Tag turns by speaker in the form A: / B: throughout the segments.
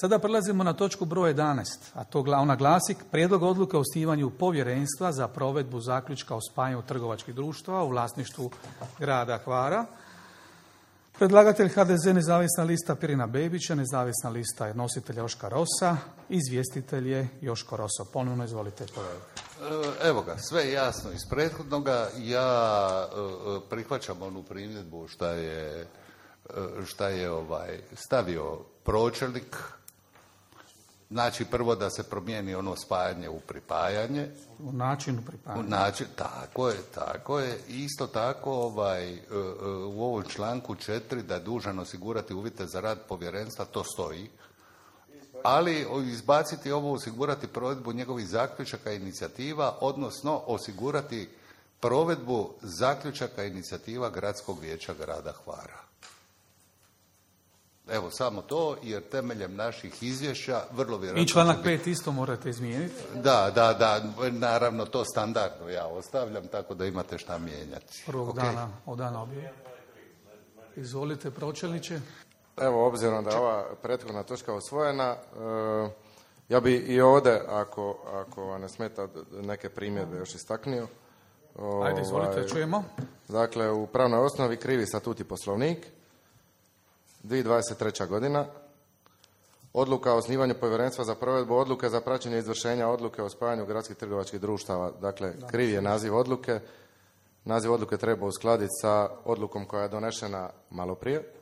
A: Sada prelazimo na točku broj 11, a to ona glasi prijedlog odluke o osnivanju povjerenstva za provedbu zaključka o spajanju trgovačkih društava u vlasništvu grada Hvara. Predlagatelj HDZ nezavisna lista Pirina Bebića, nezavisna lista je nositelj Joška Rosa, izvjestitelj je Joško Roso. Ponovno izvolite, kolega.
B: Evo ga, sve je jasno iz prethodnoga. Ja prihvaćam onu primjedbu šta je stavio pročelnik. Znači, prvo da se promijeni ono spajanje u pripajanje.
A: U načinu pripajanja.
B: Tako je. Isto tako u ovom članku 4 da je dužan osigurati uvjete za rad povjerenstva, to stoji. Ali izbaciti ovo, osigurati provedbu njegovih zaključaka i inicijativa, odnosno osigurati provedbu zaključaka i inicijativa Gradskog vijeća grada Hvara. Evo, samo to, jer temeljem naših izvješća vrlo vjerojatno...
A: I članak 5 isto morate izmijeniti?
B: Da, naravno to standardno ja ostavljam, tako da imate šta mijenjati.
A: Prvog dana, od dana objave. Izvolite, pročelniče.
C: Evo, obzirom da je ova prethodna točka usvojena, ja bi i ovdje, ako vam ne smeta, neke primjedbe još istaknio.
A: Ajde, izvolite, čujemo.
C: Dakle, u pravnoj osnovi krivi statut i poslovnik, 2023. godina, odluka o osnivanju povjerenstva za provedbu odluke za praćenje izvršenja odluke o spajanju gradskih trgovačkih društava. Dakle, kriv je naziv odluke. Naziv odluke treba uskladiti sa odlukom koja je donešena malo prije,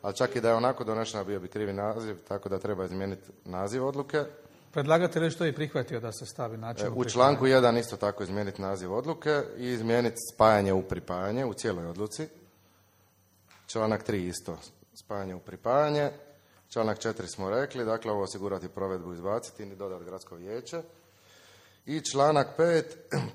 C: ali čak i da je onako donešena bio bi krivi naziv, tako da treba izmijeniti naziv odluke.
A: Predlagatelj što je prihvatio da se stavi način
C: u članku 1 isto tako izmijeniti naziv odluke i izmijeniti spajanje u pripajanje u cijeloj odluci. Članak 3 isto spajanje u pripajanje. Članak 4 smo rekli, dakle ovo osigurati provedbu, izbaciti i dodati gradsko vijeće. I članak 5,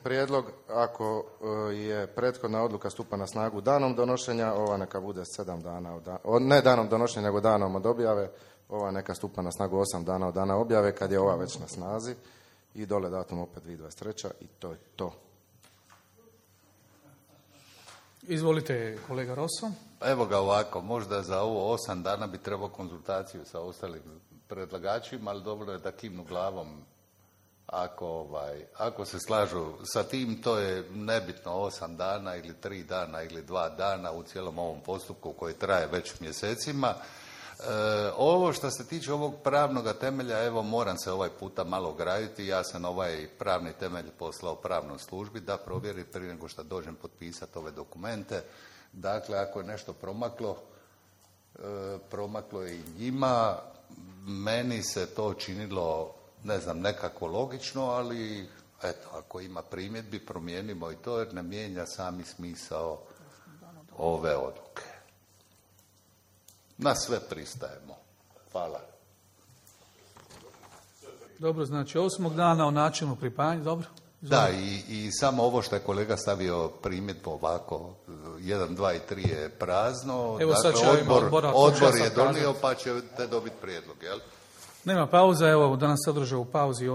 C: prijedlog ako je prethodna odluka stupa na snagu danom donošenja, ova neka bude 7 dana, ne danom donošenja nego danom od objave, ova neka stupa na snagu 8 dana od dana objave kad je ova već na snazi i dole datum opet 2023. i to je to.
A: Izvolite, kolega Rosso.
B: Evo ga ovako, možda za ovo 8 dana bi trebao konzultaciju sa ostalim predlagačima, ali dobro je da kimnu glavom ako se slažu sa tim. To je nebitno 8 dana ili 3 dana ili 2 dana u cijelom ovom postupku koji traje već mjesecima. Ovo što se tiče ovog pravnog temelja, evo moram se ovaj puta malo graditi. Ja sam ovaj pravni temelj poslao pravnoj službi da provjeri prije nego što dođem potpisati ove dokumente. Dakle, ako je nešto promaklo je i njima. Meni se to činilo, ne znam, nekako logično, ali eto, ako ima primjedbi, promijenimo i to jer ne mijenja sami smisao ove odluke. Na sve pristajemo. Hvala.
A: Dobro, znači 8. dana o načinu pripajanja, dobro?
B: Da, i samo ovo što je kolega stavio primjedbu ovako, 1, 2 i 3 je prazno.
A: Evo sad će
B: odbor je donio pa ćete dobiti prijedlog, jel?
A: Nema pauza, evo danas se održao u pauzi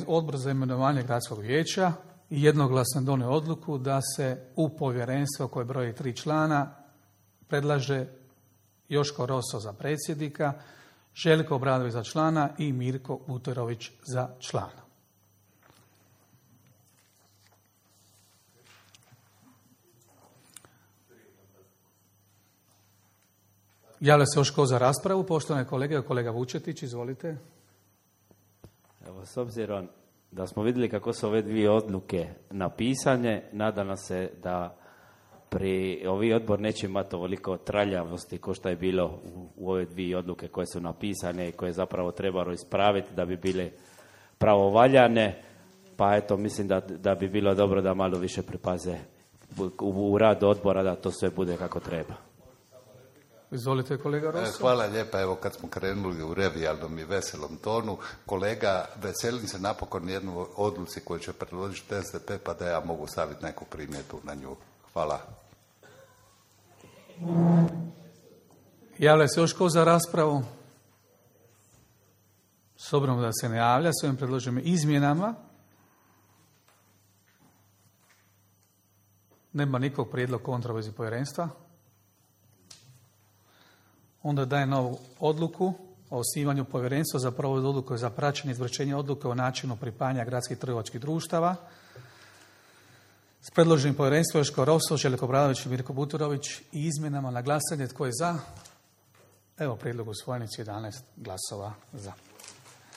A: odbor za imenovanje gradskog vijeća i jednoglasno donio odluku da se u povjerenstvo koje broji 3 člana predlaže Joško Roso za predsjednika, Željko Obradović za člana i Mirko Buterović za člana. Javlja se još ko za raspravu, poštovane kolege, kolega Vučetić, izvolite.
D: Evo, s obzirom da smo vidjeli kako su ove dvije odluke napisane, nadam se da pri ovi odbor neće imati ovoliko traljavosti kao što je bilo u ove dvije odluke koje su napisane i koje zapravo trebalo ispraviti da bi bile pravovaljane, pa eto, mislim da bi bilo dobro da malo više pripaze u radu odbora da to sve bude kako treba.
A: Izvolite, kolega Rosso.
B: Hvala lijepa. Evo, kad smo krenuli u revijalnom i veselom tonu, kolega, veselim se napokon jednu odluci koju će predložiti SDP, pa da ja mogu staviti neku primjedbu na nju. Hvala.
A: Javlja se još ko za raspravu? S obzirom da se ne javlja, s ovim predloženim izmjenama nema nikog prijedlog kontra u vezi povjerenstva. Onda dajem novu odluku o osnivanju povjerenstva za provedbu odluke za praćenje izvršenja odluke o načinu pripajanja gradskih trgovačkih društava. S predloženim povjerenstvom Joško Roso, Željko Obradović i Mirko Buturović i izmjenama na glasanje. Tko je za? Evo prijedlog usvojen, 11 glasova za.